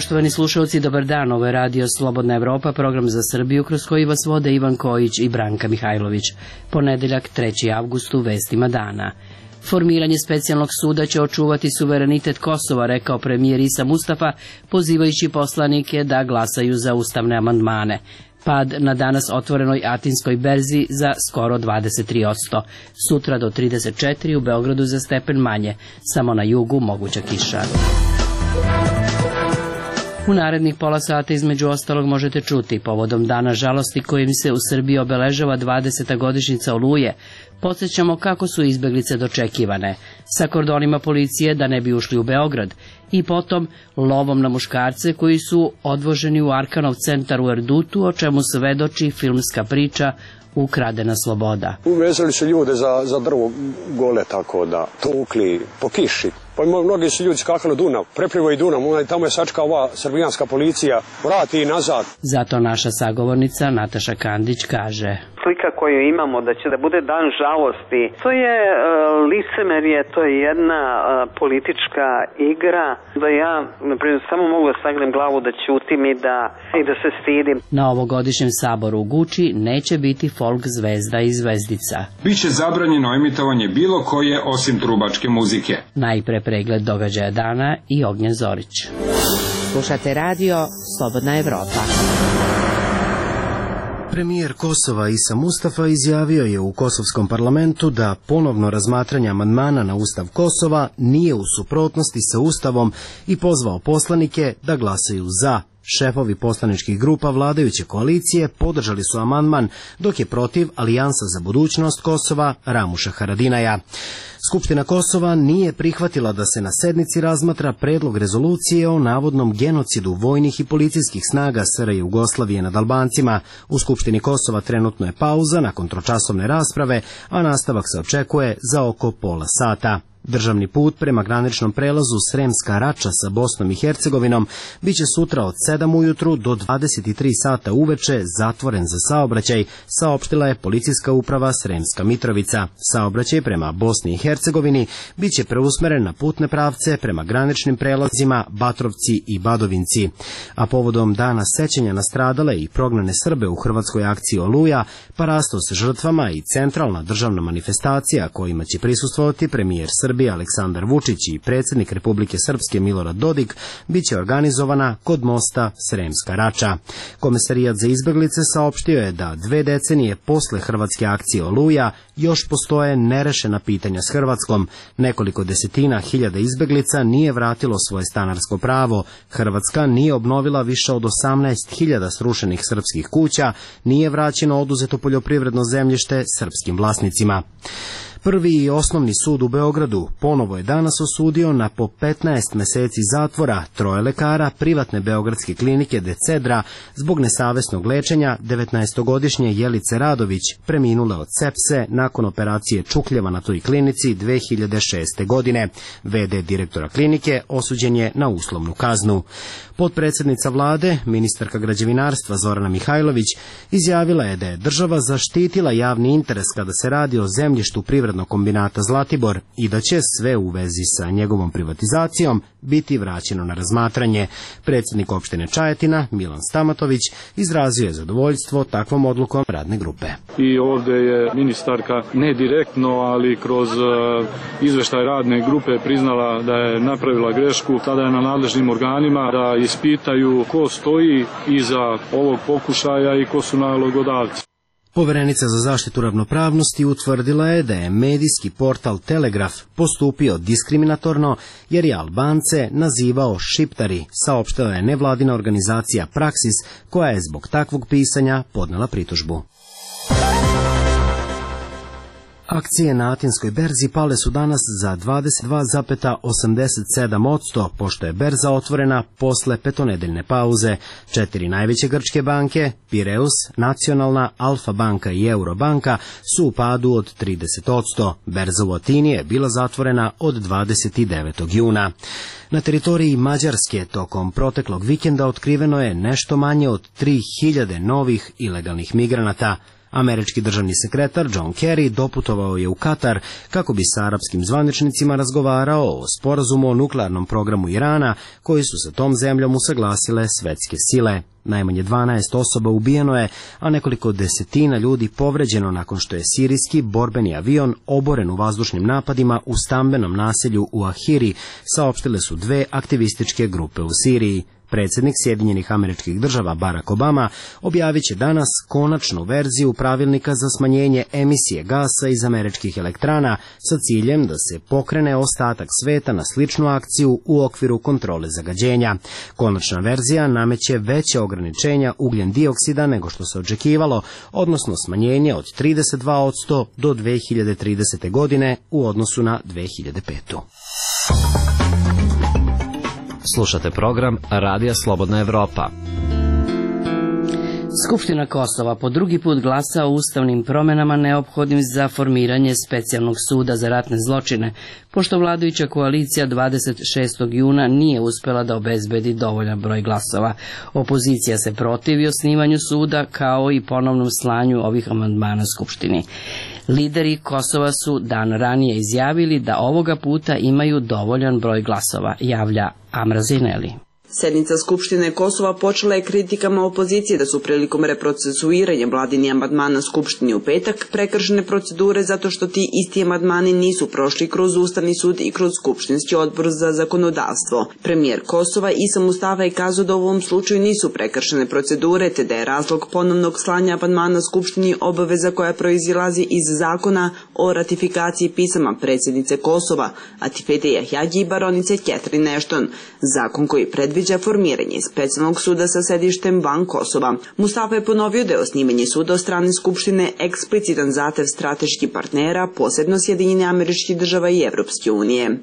Poštovani slušalci, dobar dan, ovo je radio Slobodna Evropa, program za Srbiju kroz koji vas vode Ivan Kojić i Branka Mihajlović. Ponedeljak, 3. avgust, u vestima dana. Formiranje specijalnog suda će očuvati suverenitet Kosova, rekao premijer Isa Mustafa, pozivajući poslanike da glasaju za ustavne amandmane. Pad na danas otvorenoj Atinskoj berzi za skoro 23%. Sutra do 34, u Beogradu za stepen manje, samo na jugu moguća kiša. U narednih pola sata između ostalog možete čuti povodom dana žalosti kojim se u Srbiji obeležava 20. godišnjica Oluje. Podsjećamo kako su izbeglice dočekivane, sa kordonima policije da ne bi ušli u Beograd i potom lovom na muškarce koji su odvoženi u Arkanov centar u Erdutu, o čemu svedoči filmska priča Ukradena sloboda. Uvezali su ljude za drvo gole, tako da tukli po kiši. Pa mnogi su ljudi skakali Dunav, preplivo i Dunav, tamo je sačka ova srbijanska policija, vrati i nazad. Zato naša sagovornica Nataša Kandić kaže: slika koju imamo da će da bude dan žalosti, to je licemerje, to je jedna politička igra, da ja naprimjer samo mogu da sagnem glavu da ćutim i da se stidim. Na ovogodišnjem saboru u Guči neće biti folk zvezda i zvezdica. Biće zabranjeno emitovanje bilo koje osim trubačke muzike. Najpre pregled događaja dana i Ognjen Zorić. Slušate radio Slobodna Evropa. Premijer Kosova Isa Mustafa izjavio je u kosovskom parlamentu da ponovno razmatranje amandmana na Ustav Kosova nije u suprotnosti sa Ustavom i pozvao poslanike da glasaju za. Šefovi poslaničkih grupa vladajuće koalicije podržali su amandman, dok je protiv Alijansa za budućnost Kosova Ramuša Haradinaja. Skupština Kosova nije prihvatila da se na sednici razmatra predlog rezolucije o navodnom genocidu vojnih i policijskih snaga SR Jugoslavije nad Albancima. U Skupštini Kosova trenutno je pauza nakon tročasovne rasprave, a nastavak se očekuje za oko pola sata. Državni put prema graničnom prelazu Sremska Rača sa Bosnom i Hercegovinom biće sutra od 7 ujutru do 23 sata uveče zatvoren za saobraćaj, saopštila je policijska uprava Sremska Mitrovica. Saobraćaj prema Bosni i Hercegovini biće preusmeren na putne pravce prema graničnim prelazima Batrovci i Badovinci. A povodom dana sećanja na stradale i prognane Srbe u hrvatskoj akciji Oluja, parasto sa žrtvama i centralna državna manifestacija kojima će prisustvovati premijer Srbije Aleksandar Vučić i predsjednik Republike Srpske Milorad Dodik biće organizovana kod mosta Sremska Rača. Komesarijat za izbeglice saopštio je da 2 decenije posle hrvatske akcije Oluja još postoje nerešena pitanja s Hrvatskom. Nekoliko desetina hiljada izbeglica nije vratilo svoje stanarsko pravo. Hrvatska nije obnovila više od 18.000 srušenih srpskih kuća, nije vraćeno oduzeto poljoprivredno zemljište srpskim vlasnicima. Prvi i osnovni sud u Beogradu ponovo je danas osudio na po 15 meseci zatvora 3 lekara privatne beogradske klinike Decedra zbog nesavesnog lečenja 19-godišnje Jelice Radović, preminule od sepse nakon operacije čukljeva na toj klinici 2006. godine. VD direktora klinike osuđen je na uslovnu kaznu. Potpredsjednica vlade, ministarka građevinarstva Zorana Mihajlović, izjavila je da je država zaštitila javni interes kada se radi o zemljištu privrednog kombinata Zlatibor i da će sve u vezi sa njegovom privatizacijom biti vraćeno na razmatranje. Predsjednik opštine Čajetina, Milan Stamatović, izrazio je zadovoljstvo takvom odlukom radne grupe. I ovdje je ministarka ne direktno, ali kroz izveštaj radne grupe priznala da je napravila grešku. Tada je na nadležnim organima da ispitaju ko stoji iza ovog pokušaja i ko su nalogodavci. Poverenica za zaštitu ravnopravnosti utvrdila je da je medijski portal Telegraf postupio diskriminatorno jer je Albance nazivao šiptari, saopštila je nevladina organizacija Praksis, koja je zbog takvog pisanja podnela pritužbu. Akcije na Atinskoj berzi pale su danas za 22,87%, pošto je berza otvorena posle petonedeljne pauze. 4 najveće grčke banke, Pireus, Nacionalna, Alfa banka i Eurobanka, su u padu od 30%. Berza u Atini je bila zatvorena od 29. juna. Na teritoriji Mađarske tokom proteklog vikenda otkriveno je nešto manje od 3000 novih ilegalnih migranata. Američki državni sekretar John Kerry doputovao je u Katar kako bi sa arapskim zvaničnicima razgovarao o sporazumu o nuklearnom programu Irana koji su sa tom zemljom usaglasile svetske sile. Najmanje 12 osoba ubijeno je, a nekoliko desetina ljudi povređeno nakon što je sirijski borbeni avion oboren u vazdušnim napadima u stambenom naselju u Ahiri, saopštile su dve aktivističke grupe u Siriji. Predsjednik Sjedinjenih Američkih Država Barack Obama objavit će danas konačnu verziju pravilnika za smanjenje emisije gasa iz američkih elektrana sa ciljem da se pokrene ostatak sveta na sličnu akciju u okviru kontrole zagađenja. Konačna verzija nameće veće ograničenja ugljen dioksida nego što se očekivalo, odnosno smanjenje od 32% do 2030. godine u odnosu na 2005. Slušate program Radija Slobodna Evropa. Skupština Kosova po drugi put glasa o ustavnim promenama neophodnim za formiranje specijalnog suda za ratne zločine, pošto vladajuća koalicija 26. juna nije uspela da obezbedi dovoljan broj glasova. Opozicija se protivi osnivanju suda kao i ponovnom slanju ovih amandmana Skupštini. Lideri Kosova su dan ranije izjavili da ovoga puta imaju dovoljan broj glasova, javlja Amra Zineli. Sednica Skupštine Kosova počela je kritikama opozicije da su prilikom reprocesuiranja vladini amandmana Skupštini u petak prekršene procedure zato što ti isti amandmani nisu prošli kroz Ustavni sud i kroz Skupštinski odbor za zakonodavstvo. Premijer Kosova Isa Mustafa je kazao da u ovom slučaju nisu prekršene procedure, te da je razlog ponovnog slanja amandmana Skupštini obaveza koja proizilazi iz zakona o ratifikaciji pisama predsjednice Kosova, Atifete Jahjagi i baronice Catherine Ashton, zakon koji predviđa formiranje specijalnog suda sa sedištem van Kosova. Mustafa je ponovio da je osnivanje suda od strane Skupštine eksplicitan zahtev strateških partnera, posebno Sjedinjenih Američkih Država i Evropske unije.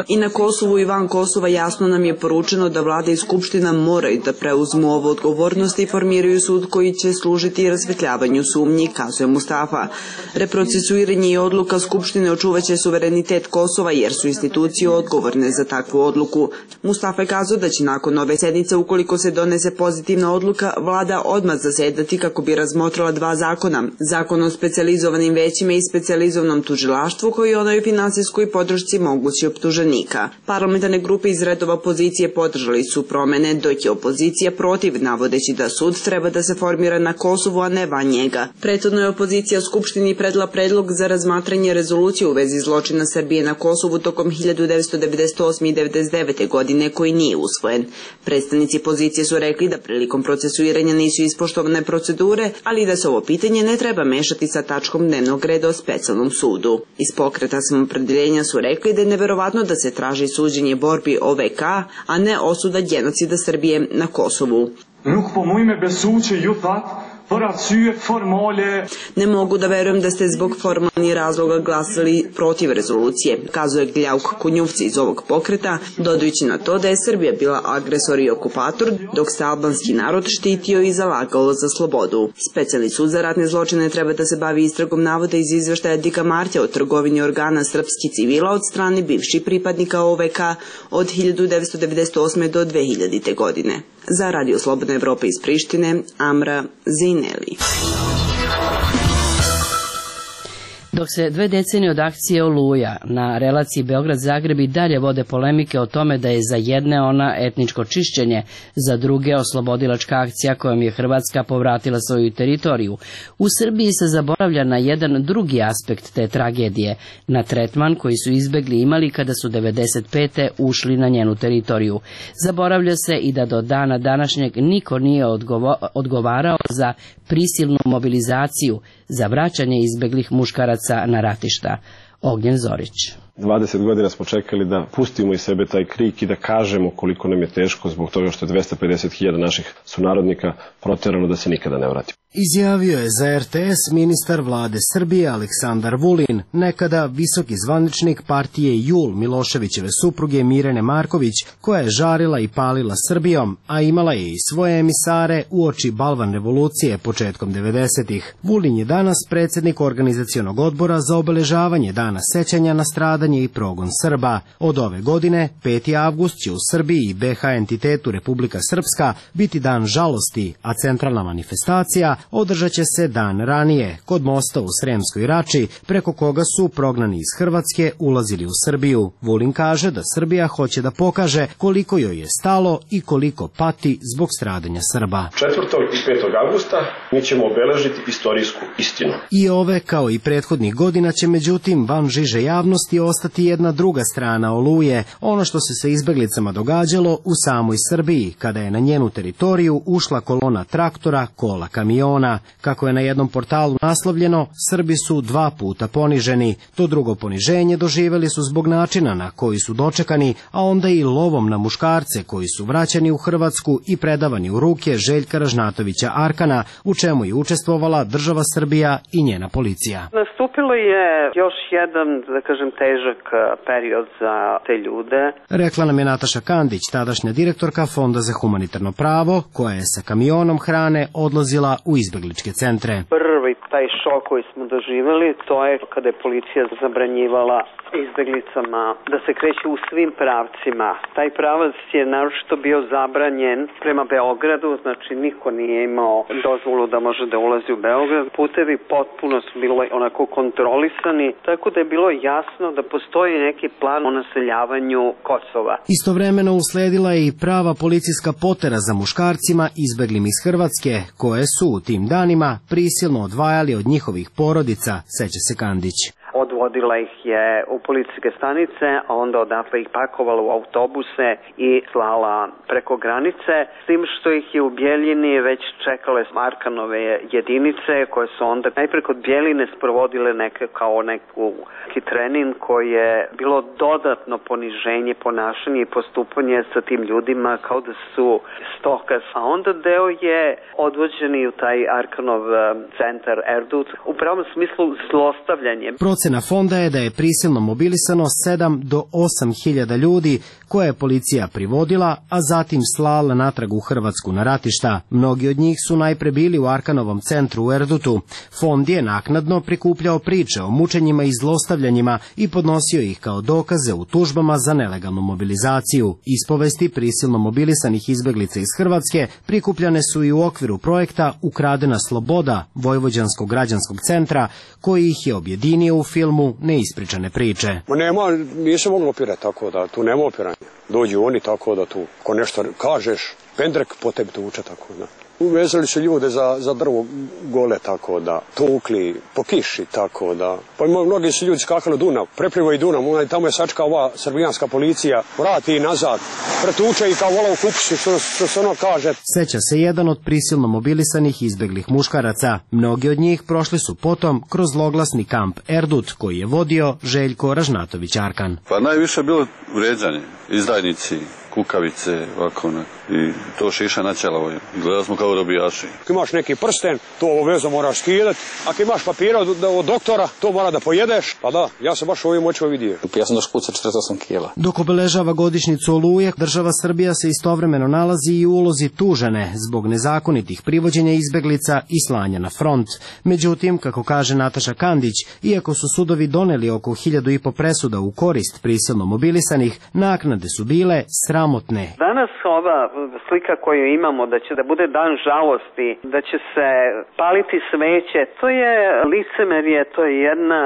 I na Kosovu i van Kosova jasno nam je poručeno da vlada i Skupština moraju da preuzmu ovu odgovornost i formiraju sud koji će služiti razvetljavanju sumnji, kazuje Mustafa. Reprocesuiranje i odluka Skupštine očuvaće suverenitet Kosova jer su institucije odgovorne za takvu odluku. Mustafa je kazao da će nakon ove sednice, ukoliko se donese pozitivna odluka, vlada odmah zasedati kako bi razmotrila dva zakona. Zakon o specijalizovanim većima i specijalizovanom tužilaštvu koji je onoj finansijskoj podršci mogući optuženika. Parlamentarne grupe iz redova opozicije podržali su promene, dok je opozicija protiv, navodeći da sud treba da se formira na Kosovu, a ne van njega. Prethodno je opozicija Skupštini predla predlog za razmatranje rezolucije u vezi zločina Srbije na Kosovu tokom 1998. i 1999. godine koji nije usvojen. Predstavnici pozicije su rekli da prilikom procesuiranja nisu ispoštovane procedure, ali da se ovo pitanje ne treba mešati sa tačkom dnevnog reda o specijalnom sudu. Iz Pokreta Samoopredeljenja su rekli da je neverovatno da se traži suđenje borbi OVK, a ne osuda genocida Srbije na Kosovu. Ne mogu da verujem da ste zbog formalnih razloga glasali protiv rezolucije, kazuje Gljauk Kunjuvci iz ovog pokreta, dodajući na to da je Srbija bila agresor i okupator, dok se albanski narod štitio i zalagao za slobodu. Specijalni sud za ratne zločine treba da se bavi istragom navoda iz izveštaja Dika Martja o trgovini organa srpskih civila od strane bivših pripadnika OVK od 1998. do 2000. godine. Za Radio Slobodna Evropa iz Prištine, Amra Zineli. Dok se 2 decenije od akcije Oluja na relaciji Beograd-Zagreb i dalje vode polemike o tome da je za jedne ona etničko čišćenje, za druge oslobodilačka akcija kojom je Hrvatska povratila svoju teritoriju, u Srbiji se zaboravlja na jedan drugi aspekt te tragedije, na tretman koji su izbegli imali kada su 1995. ušli na njenu teritoriju. Zaboravlja se i da do dana današnjeg niko nije odgovarao za prisilnu mobilizaciju, za vraćanje izbeglih muškaraca na ratišta. Ognjen Zorić. 20 godina smo čekali da pustimo iz sebe taj krik i da kažemo koliko nam je teško zbog toga što je 250.000 naših sunarodnika proterano da se nikada ne vrati. Izjavio je za RTS ministar vlade Srbije Aleksandar Vulin, nekada visoki zvaničnik partije JUL Miloševićeve supruge Mirjane Marković, koja je žarila i palila Srbijom, a imala je i svoje emisare uoči Balvan revolucije početkom 90-ih. Vulin je danas predsjednik organizacionog odbora za obeležavanje Dana sećanja na stradanje stradanje i progon Srba. Od ove godine, 5. avgust će u Srbiji i BH entitetu Republika Srpska biti dan žalosti, a centralna manifestacija održat će se dan ranije, kod mosta u Sremskoj Rači, preko koga su prognani iz Hrvatske ulazili u Srbiju. Vulin kaže da Srbija hoće da pokaže koliko joj je stalo i koliko pati zbog stradanja Srba. 4. i 5. avgusta mi ćemo obeležiti istorijsku istinu. I ove, kao i prethodnih godina, će međutim van žiže javnosti ostati jedna druga strana Oluje, ono što se sa izbeglicama događalo u samoj Srbiji, kada je na njenu teritoriju ušla kolona traktora, kola, kamiona. Kako je na jednom portalu naslovljeno, Srbi su 2 puta poniženi. To drugo poniženje doživeli su zbog načina na koji su dočekani, a onda i lovom na muškarce koji su vraćani u Hrvatsku i predavani u ruke Željka Ražnatovića Arkana, u čemu je učestvovala država Srbija i njena policija. Nastupilo je još jedan, da kažem, težak period za te ljude. Rekla nam je Nataša Kandić, tadašnja direktorka Fonda za humanitarno pravo, koja je sa kamionom hrane odlazila u izbegličke centre. Prvi taj šok koji smo doživjeli, to je kada je policija zabranjivala izbeglicama da se kreću u svim pravcima. Taj pravac je naročito bio zabranjen prema Beogradu, znači niko nije imao dozvolu da može da ulazi u Beograd. Putevi potpuno su bili onako kontrolisani, tako da je bilo jasno da postoji neki plan o naseljavanju Kosova. Istovremeno usledila je i prava policijska potera za muškarcima izbeglim iz Hrvatske, koje su u tim danima prisilno odvajali od njihovih porodica, seća se Kandić. Odvodila ih je u policijske stanice, a onda odatle ih pakovala u autobuse i slala preko granice, s tim što ih je u Bjeljini već čekale Arkanove jedinice, koje su onda najpre kod Bjeline sprovodile neki trening koji je bilo dodatno poniženje, ponašanje i postupanje sa tim ljudima kao da su stoka. A onda deo je odvođeni u taj Arkanov centar Erdut, u pravom smislu zlostavljanje. Procena fonda je da je prisilno mobilisano 7 do 8 hiljada ljudi koje je policija privodila, a zatim slala natrag u Hrvatsku na ratišta. Mnogi od njih su najpre bili u Arkanovom centru u Erdutu. Fond je naknadno prikupljao priče o mučenjima i zlostavljanjima i podnosio ih kao dokaze u tužbama za nelegalnu mobilizaciju. Ispovesti prisilno mobilisanih izbeglica iz Hrvatske prikupljane su i u okviru projekta Ukradena sloboda Vojvođanskog građanskog centra, koji ih je objedinio u filmu Neispričane priče. Nije se moglo opirati tako da tu nema opiranja. Dođu oni tako da tu, ko nešto kažeš, pendrek po tebi tuče tako da. Uvezali su ljude za drvo gole tako da, tukli po kiši tako da. Pa mnogi su ljudi skakali Dunav, preplivaju Dunav, tamo je sačka ova srbijanska policija, vrati i nazad, pretuče i kao vola u kupisu, što se ono kaže. Seća se jedan od prisilno mobilisanih izbeglih muškaraca. Mnogi od njih prošli su potom kroz zloglasni kamp Erdut, koji je vodio Željko Ražnatović Arkan. Pa najviše je bilo vređanje, izdajnici, kukavice, ovako, i to šiša na ćelavo. Gledali smo kao robijaši. Ako imaš neki prsten, to obavezno moraš skidati. Ako imaš papira od doktora, to mora da pojedeš. Pa da, ja sam baš ovim očima vidio. Ja sam došao kuca 48 kila. Dok obeležava godišnjicu Oluje, država Srbija se istovremeno nalazi i u ulozi tužene zbog nezakonitih privođenja izbeglica i slanja na front. Međutim, kako kaže Nataša Kandić, iako su sudovi doneli oko 1500 presuda u korist prisilno mobilisanih, naknade su bile sramotne. Danas ova slika koju imamo da bude dan žalosti, da će se paliti sveće, to je licemerje, to je jedna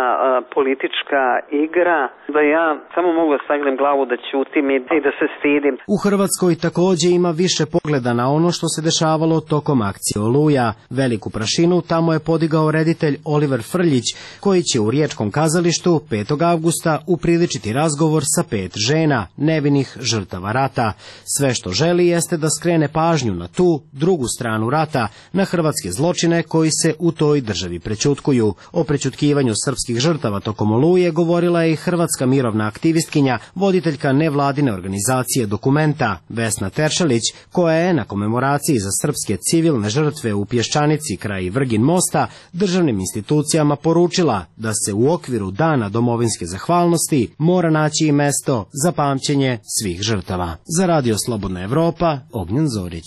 politička igra, da ja samo mogu da sagnem glavu da ćutim i da se stidim. U Hrvatskoj takođe ima više pogleda na ono što se dešavalo tokom akcije Oluja. Veliku prašinu tamo je podigao reditelj Oliver Frljić, koji će u Riječkom kazalištu 5. avgusta upriličiti razgovor sa 5 žena, nevinih žrtava rata. Sve što želi jeste da skrene pažnju na tu drugu stranu rata, na hrvatske zločine koji se u toj državi prećutkuju. O prećutkivanju srpskih žrtava tokom Oluje govorila je i hrvatska mirovna aktivistkinja, voditeljka nevladine organizacije Dokumenta, Vesna Teršelić, koja je na komemoraciji za srpske civilne žrtve u Pješčanici kraj Vrgin mosta državnim institucijama poručila da se u okviru Dana domovinske zahvalnosti mora naći i mesto za pamćenje svih žrtava. Za Radio Slobodna Evropa, Kosova Ognjen Zorić.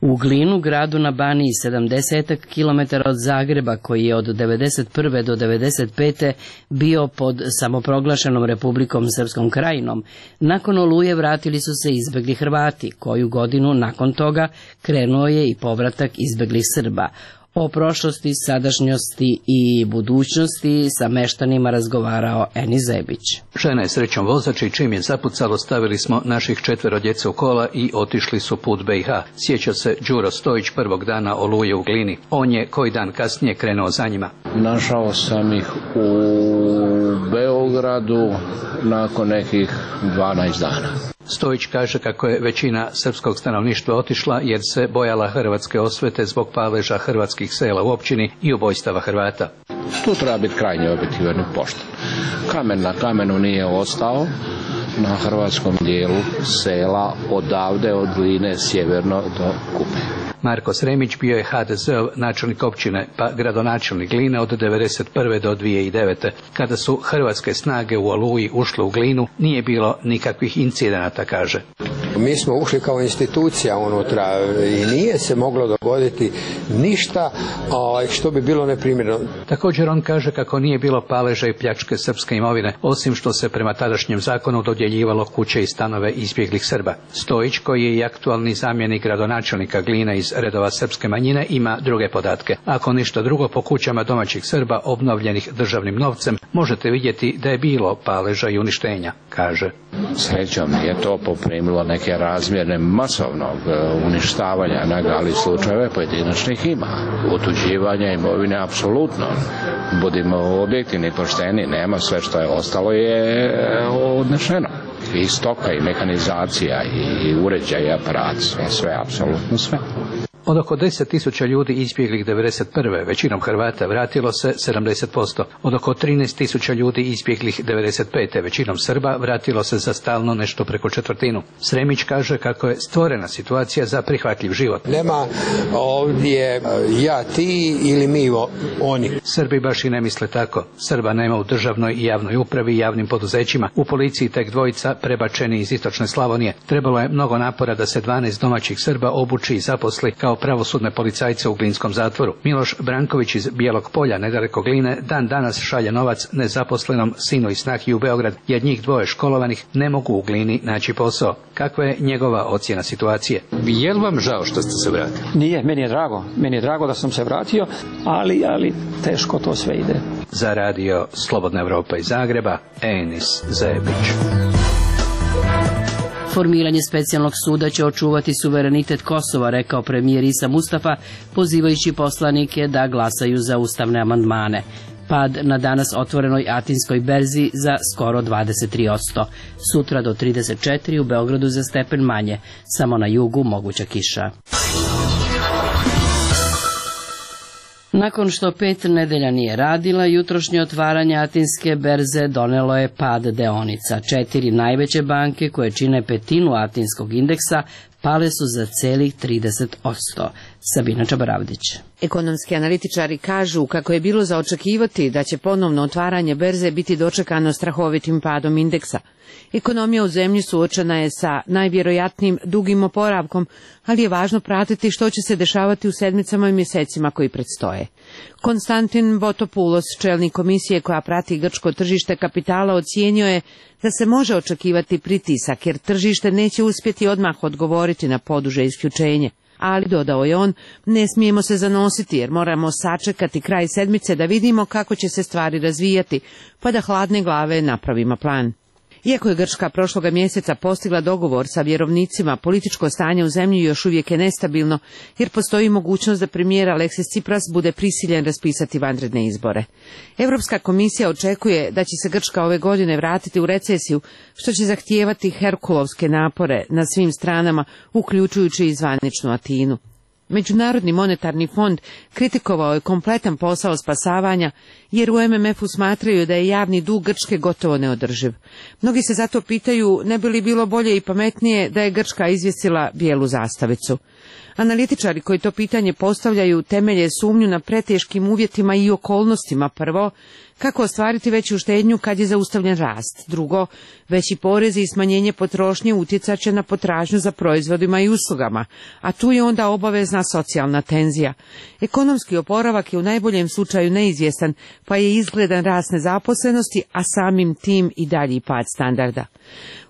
U Glinu, gradu na Baniji 70 km od Zagreba, koji je od 1991. do 1995. bio pod samoproglašenom Republikom Srpskom krajinom, nakon Oluje vratili su se izbegli Hrvati. Koju godinu nakon toga krenuo je i povratak izbeglih Srba. O prošlosti, sadašnjosti i budućnosti sa meštanima razgovarao Eni Zebić. Žena je srećom vozač i čim je zapucalo stavili smo naših 4 djece u kola i otišli su put BiH. Sjeća se Đuro Stojić prvog dana Oluje u Glini. On je koji dan kasnije krenuo za njima. Našao sam ih u Beogradu nakon nekih 12 dana. Stojić kaže kako je većina srpskog stanovništva otišla jer se bojala hrvatske osvete zbog paleža hrvatskih sela u općini i ubojstava Hrvata. Tu treba biti krajnje objektivan i pošten. Kamen na kamenu nije ostao na hrvatskom dijelu sela odavde od Gline sjeverno do Kupe. Marko Sremić bio je HDZ-ov načelnik općine pa gradonačelnik Gline od 1991. do 2009. Kada su hrvatske snage u Oluji ušle u Glinu, nije bilo nikakvih incidenata, kaže. Mi smo ušli kao institucija unutra i nije se moglo dogoditi ništa što bi bilo neprimjereno. Također on kaže kako nije bilo paleža i pljačke srpske imovine, osim što se prema tadašnjem zakonu dodjeljivalo kuće i stanove izbjeglih Srba. Stojić, koji je i aktualni zamjenik gradonačelnika Gline iz redova srpske manjine, ima druge podatke. Ako ništa drugo, po kućama domaćih Srba obnovljenih državnim novcem možete vidjeti da je bilo paleža i uništenja, kaže. Srećom je to poprimilo neke razmjerne masovnog uništavanja, ali slučajeve pojedinačnih ima. Otuđivanja imovine apsolutno. Budimo objektivni, pošteni, nema, sve što je ostalo je odnešeno. I stoka, i mehanizacija, i uređaj, i aparat, sve, apsolutno sve. Od oko 10.000 ljudi izbjeglih 1991. većinom Hrvata vratilo se 70%. Od oko 13.000 ljudi izbjeglih 1995. većinom Srba vratilo se za stalno nešto preko četvrtinu. Sremić kaže kako je stvorena situacija za prihvatljiv život. Nema ovdje ja, ti ili mi, oni. Srbi baš i ne misle tako. Srba nema u državnoj i javnoj upravi i javnim poduzećima. U policiji tek 2 prebačeni iz istočne Slavonije. Trebalo je mnogo napora da se 12 domaćih Srba obuči i zaposli kao pravosudne policajce u glinskom zatvoru. Miloš Branković iz Bijelog Polja, nedaleko Gline, dan danas šalje novac nezaposlenom sinu i snahi u Beograd, jer njih 2 školovanih ne mogu u Glini naći posao. Kakva je njegova ocjena situacije? Je li vam žao što ste se vratili? Nije, meni je drago. Meni je drago da sam se vratio, ali teško to sve ide. Za radio Slobodna Evropa iz Zagreba, Enis Zebić. Formiranje specijalnog suda će očuvati suverenitet Kosova, rekao premijer Isa Mustafa, pozivajući poslanike da glasaju za ustavne amandmane. Pad na danas otvorenoj Atinskoj berzi za skoro 23%. Sutra do 34, u Beogradu za stepen manje. Samo na jugu moguća kiša. Nakon što 5 nedelja nije radila, jutrošnje otvaranje Atinske berze donelo je pad deonica. 4 najveće banke koje čine 1/5 Atinskog indeksa pale su za celih 30%. Sabina Čabaravdić. Ekonomski analitičari kažu kako je bilo za očekivati da će ponovno otvaranje berze biti dočekano strahovitim padom indeksa. Ekonomija u zemlji suočena je sa najvjerojatnijim dugim oporavkom, ali je važno pratiti što će se dešavati u sedmicama i mjesecima koji predstoje. Konstantin Botopoulos, čelnik komisije koja prati grčko tržište kapitala, ocijenio je da se može očekivati pritisak jer tržište neće uspjeti odmah odgovoriti na poduže isključenje. Ali, dodao je on, ne smijemo se zanositi jer moramo sačekati kraj sedmice da vidimo kako će se stvari razvijati, pa da hladne glave napravimo plan. Iako je Grčka prošloga mjeseca postigla dogovor sa vjerovnicima, političko stanje u zemlji još uvijek je nestabilno, jer postoji mogućnost da premijer Aleksis Tsipras bude prisiljen raspisati vanredne izbore. Europska komisija očekuje da će se Grčka ove godine vratiti u recesiju, što će zahtijevati herkulovske napore na svim stranama, uključujući i zvaničnu Atinu. Međunarodni monetarni fond kritikovao je kompletan posao spasavanja, jer u MMF-u smatraju da je javni dug Grčke gotovo neodrživ. Mnogi se zato pitaju ne bi li bilo bolje i pametnije da je Grčka izvjesila bijelu zastavicu. Analitičari koji to pitanje postavljaju temelje sumnju na preteškim uvjetima i okolnostima prvo, Kako ostvariti veću štednju kad je zaustavljen rast? Drugo, veći porezi i smanjenje potrošnje utjecat će na potražnju za proizvodima i uslugama, a tu je onda obavezna socijalna tenzija. Ekonomski oporavak je u najboljem slučaju neizvjestan, pa je izgledan rast nezaposlenosti, a samim tim i dalji pad standarda.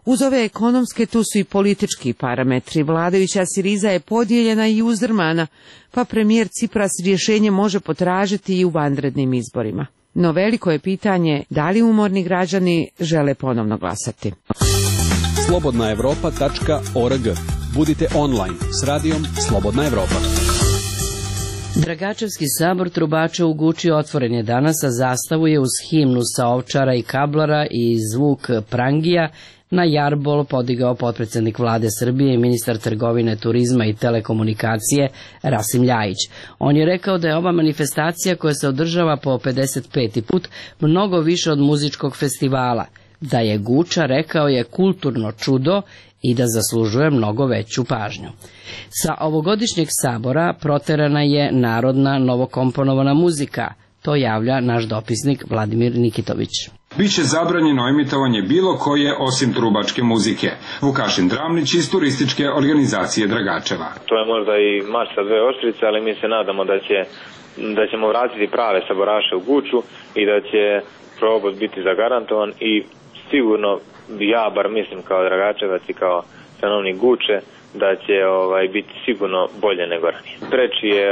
Uz ove ekonomske tu su i politički parametri. Vladajuća Siriza je podijeljena i uzdrmana, pa premijer Cipras rješenje može potražiti i u vanrednim izborima. No veliko je pitanje da li umorni građani žele ponovno glasati. Slobodnaevropa.org. Budite online s radijom Slobodna Evropa. Dragačevski sabor trubača u Guči otvoren je danas, a zastavu je uz himnu sa Ovčara i Kablara i zvuk prangija na jarbol podigao potpredsjednik vlade Srbije i ministar trgovine, turizma i telekomunikacije Rasim Ljajić. On je rekao da je ova manifestacija koja se održava po 55. put mnogo više od muzičkog festivala, da je Guča, rekao je, kulturno čudo i da zaslužuje mnogo veću pažnju. Sa ovogodišnjeg sabora proterana je narodna novokomponovana muzika, to javlja naš dopisnik Vladimir Nikitović. Biće zabranjeno emitovanje bilo koje osim trubačke muzike. Vukašin Dramlić iz turističke organizacije Dragačeva. To je možda i mač sa dve oštrice, ali mi se nadamo da ćemo vratiti prave saboraše u Guču i da će probod biti zagarantovan i sigurno ja bar mislim kao Dragačevac i kao stanovnik Guče da će biti sigurno bolje nego ranije. Preči je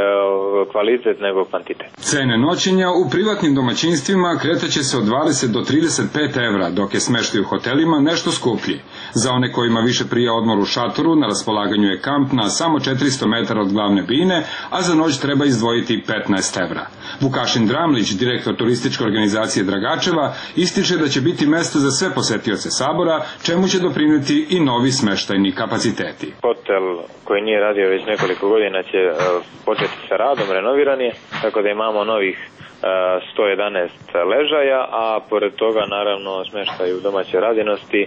kvalitet nego kvantitet. Cene noćenja u privatnim domaćinstvima kretaće se od 20 do 35 evra, dok je smeštaj u hotelima nešto skuplji. Za one kojima više prija odmor u šatoru, na raspolaganju je kamp na samo 400 metara od glavne bine, a za noć treba izdvojiti 15 evra. Vukašin Dramlić, direktor turističke organizacije Dragačeva, ističe da će biti mesto za sve posetioce sabora, čemu će doprinijeti i novi smeštajni kapaciteti. Hotel koji nije radio već nekoliko godina će početi sa radom, renoviran je, tako da imamo novih 111 ležaja, a pored toga naravno smeštaj u domaćoj radinosti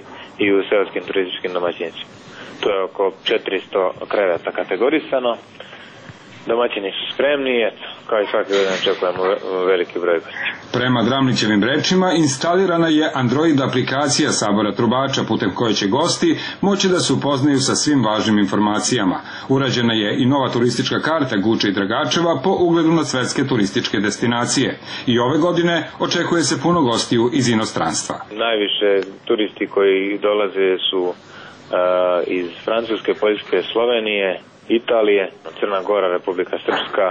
i u seoskim turističkim domaćinstvima. To je oko 400 kreveta kategorisano. Domaćini su spremni, kao i svake godine očekujemo veliki broj gostiju. Prema Dramlićevim rečima, instalirana je Android aplikacija sabora trubača putem koje će gosti moći da se upoznaju sa svim važnim informacijama. Urađena je i nova turistička karta Guče i Dragačeva po ugledu na svetske turističke destinacije. I ove godine očekuje se puno gostiju iz inostranstva. Najviše turisti koji dolaze su iz Francuske, Poljske, Slovenije, Italije, Crna Gora, Republika Srpska,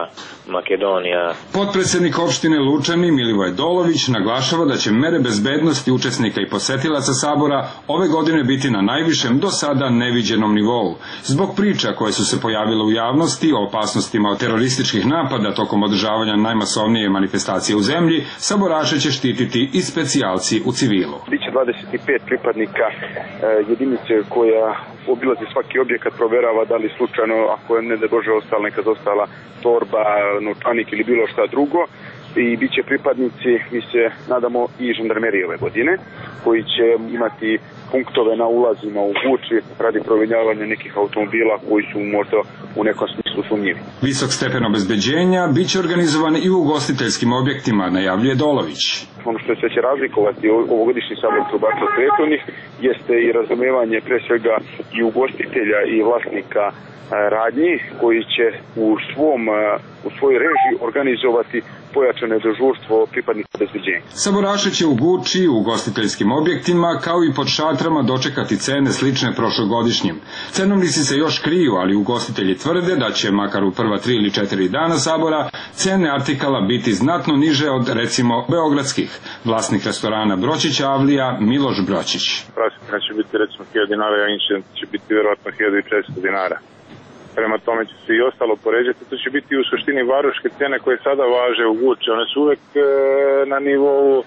Makedonija. Potpredsjednik opštine Lučani Milivoj Dolović naglašava da će mere bezbednosti učesnika i posetilaca sabora ove godine biti na najvišem do sada neviđenom nivou. Zbog priča koje su se pojavile u javnosti o opasnostima od terorističkih napada tokom održavanja najmasovnije manifestacije u zemlji, saboraše će štititi i specijalci u civilu. Biće 25 pripadnika jedinice koja obilazi svaki objekat, proverava da li slučajno, ako je ne da Bože ostala neka dostala torba, novčanik ili bilo šta drugo, i bit će pripadnici, mi se nadamo, i žandarmerije ove godine, koji će imati punktove na ulazima u Guči radi proveravanja nekih automobila koji su možda u nekom smislu sumnjivi. Visok stepen obezbeđenja biće organizovan i u ugostiteljskim objektima, najavljuje Dolović. Ono što se će razlikovati ovogodišnji sabor trubača od prethodnih jeste i razumevanje pre svega i ugostitelja i vlasnika radnji koji će u svojoj režiji organizovati pojačane dežurstvo pripadnika obezbeđenja. Saboraše će u Guči, u ugostiteljskim objektima, kao i pod šatrama dočekati cene slične prošlogodišnjim. Cenovnici se još kriju, ali ugostitelji tvrde da će, makar u prva 3 ili 4 dana sabora, cene artikala biti znatno niže od, recimo, beogradskih. Vlasnik restorana Bročić Avlija, Miloš Bročić. Praskina će biti recimo 1000 dinara, a incident će biti vjerojatno 1400 dinara. Prema tome će se i ostalo poređati, to će biti u suštini varoške cene koje sada važe u Guči. One su uvek na nivou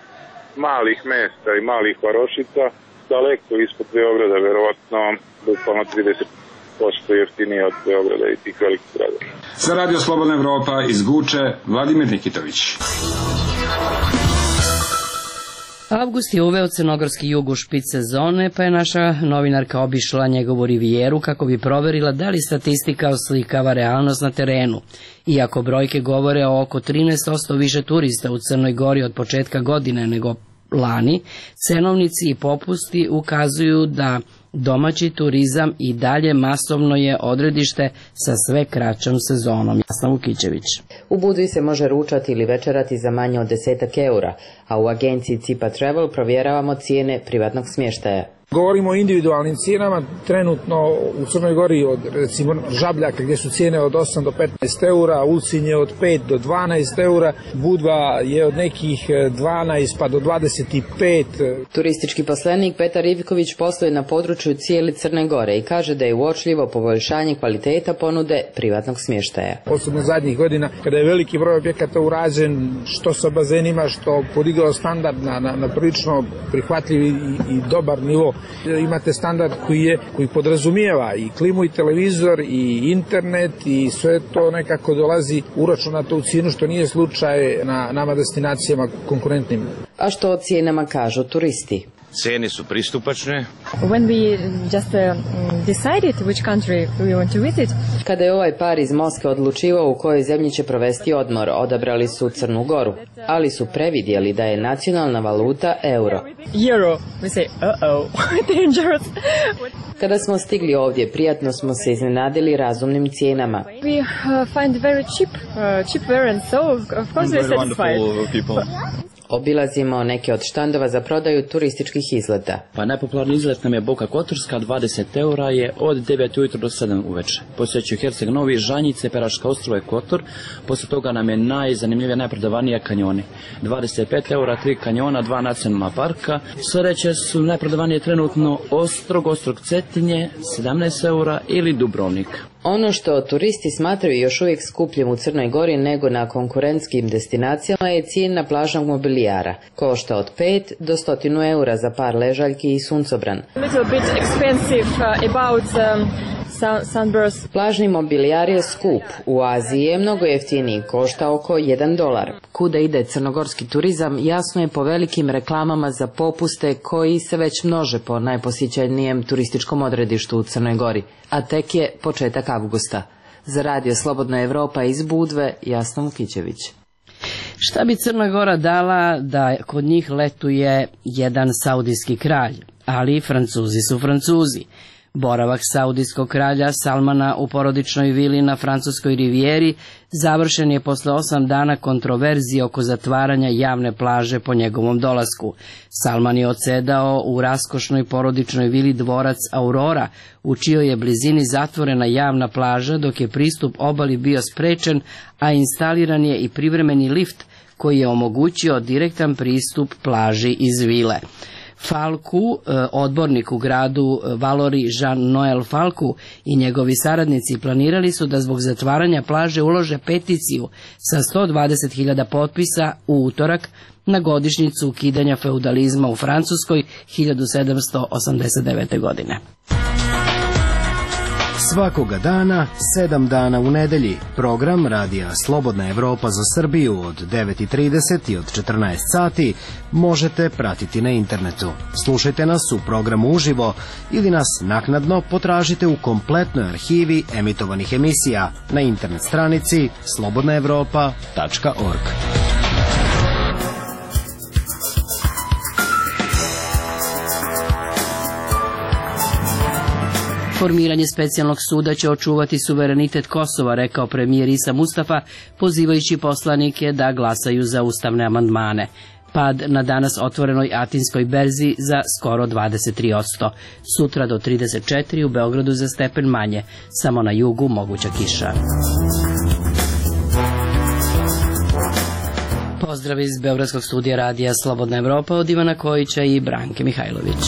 malih mesta i malih varošica, daleko ispod Beograda, verovatno bukvalno 30% jeftinije od Beograda i tih velikih gradova. Za Radio Slobodna Evropa iz Guče, Vladimir Nikitović. Avgust je uveo crnogorski jug u špic sezone, pa je naša novinarka obišla njegovu rivijeru kako bi proverila da li statistika oslikava realnost na terenu. Iako brojke govore o oko 13% više turista u Crnoj Gori od početka godine nego lani, cenovnici i popusti ukazuju da domaći turizam i dalje masovno je odredište sa sve kraćom sezonom. Jasna Vukićević. U Budvi se može ručati ili večerati za manje od 10 eura, a u agenciji Cipa Travel provjeravamo cijene privatnog smještaja. Govorimo o individualnim cijenama, trenutno u Crnoj Gori od recimo Žabljaka gdje su cijene od 8 do 15 eura, Ulcinje od 5 do 12 eura, Budva je od nekih 12 pa do 25. Turistički poslenik Petar Ivković posluje na području cijele Crne Gore i kaže da je uočljivo poboljšanje kvaliteta ponude privatnog smještaja. Posebno zadnjih godina kada je veliki broj objekata urađen, što sa bazenima, što podigao standard na prilično prihvatljiv i dobar nivo. Imate standard koji podrazumijeva i klimu i televizor i internet i sve to nekako dolazi uračunato u cijenu, što nije slučaj na nama destinacijama konkurentnim. A što o cijenama kažu turisti? Cijene su pristupačne. When we just decided which country we want to visit. Kada je ovaj par iz Moskve odlučivao u kojoj zemlji će provesti odmor, odabrali su Crnu Goru, ali su previdjeli da je nacionalna valuta euro. Euro. We say, dangerous. Kada smo stigli ovdje, prijatno smo se iznenadili razumnim cijenama. We find very cheap variants, so of course we are satisfied. Obilazimo neke od štandova za prodaju turističkih izleta. Pa najpopularniji izlet nam je Boka Kotorska, 20 eura je od 9 ujutro do 7 uveče. Posjećuju Herceg Novi, Žanjice, Peraška ostrvo i Kotor. Poslije toga nam je najzanimljivija, najprodavanija kanjoni. 25 eura, 3 kanjona, 2 nacionalna parka. Sljedeće su najprodavanije trenutno Ostrog Cetinje, 17 eura ili Dubrovnik. Ono što turisti smatraju još uvijek skupljim u Crnoj Gori nego na konkurentskim destinacijama je cijena plažnog mobilijara. Košta od 5 do 100 eura za par ležaljki i suncobran. Plažni mobilijar je skup. U Aziji je mnogo jeftiniji, košta oko $1. Kuda ide crnogorski turizam jasno je po velikim reklamama za popuste koji se već množe po najposjećenijem turističkom odredištu u Crnoj Gori, a tek je početak avgusta. Za Radio Slobodna Evropa iz Budve, Jasna Vukićević. Šta bi Crna Gora dala da kod njih letuje jedan saudijski kralj, ali Francuzi su Francuzi. Boravak saudijskog kralja Salmana u porodičnoj vili na francuskoj rivijeri završen je posle 8 dana kontroverzije oko zatvaranja javne plaže po njegovom dolasku. Salman je odsedao u raskošnoj porodičnoj vili dvorac Aurora, u čijoj je blizini zatvorena javna plaža, dok je pristup obali bio sprečen, a instaliran je i privremeni lift koji je omogućio direktan pristup plaži iz vile. Falku, odbornik u gradu Valori Jean-Noël Falku i njegovi saradnici planirali su da zbog zatvaranja plaže ulože peticiju sa 120.000 potpisa u utorak na godišnjicu ukidanja feudalizma u Francuskoj 1789. godine. Svakoga dana, 7 dana u nedelji, program Radija Slobodna Evropa za Srbiju od 9:30 i od 14 sati možete pratiti na internetu. Slušajte nas u programu uživo ili nas naknadno potražite u kompletnoj arhivi emitovanih emisija na internet stranici slobodnaevropa.org. Formiranje specijalnog suda će očuvati suverenitet Kosova, rekao premijer Isa Mustafa, pozivajući poslanike da glasaju za ustavne amandmane. Pad na danas otvorenoj Atinskoj berzi za skoro 23%. Sutra do 34, u Beogradu za stepen manje. Samo na jugu moguća kiša. Pozdrav iz Beogradskog studija Radija Slobodna Evropa od Ivana Kojića i Branke Mihajlović.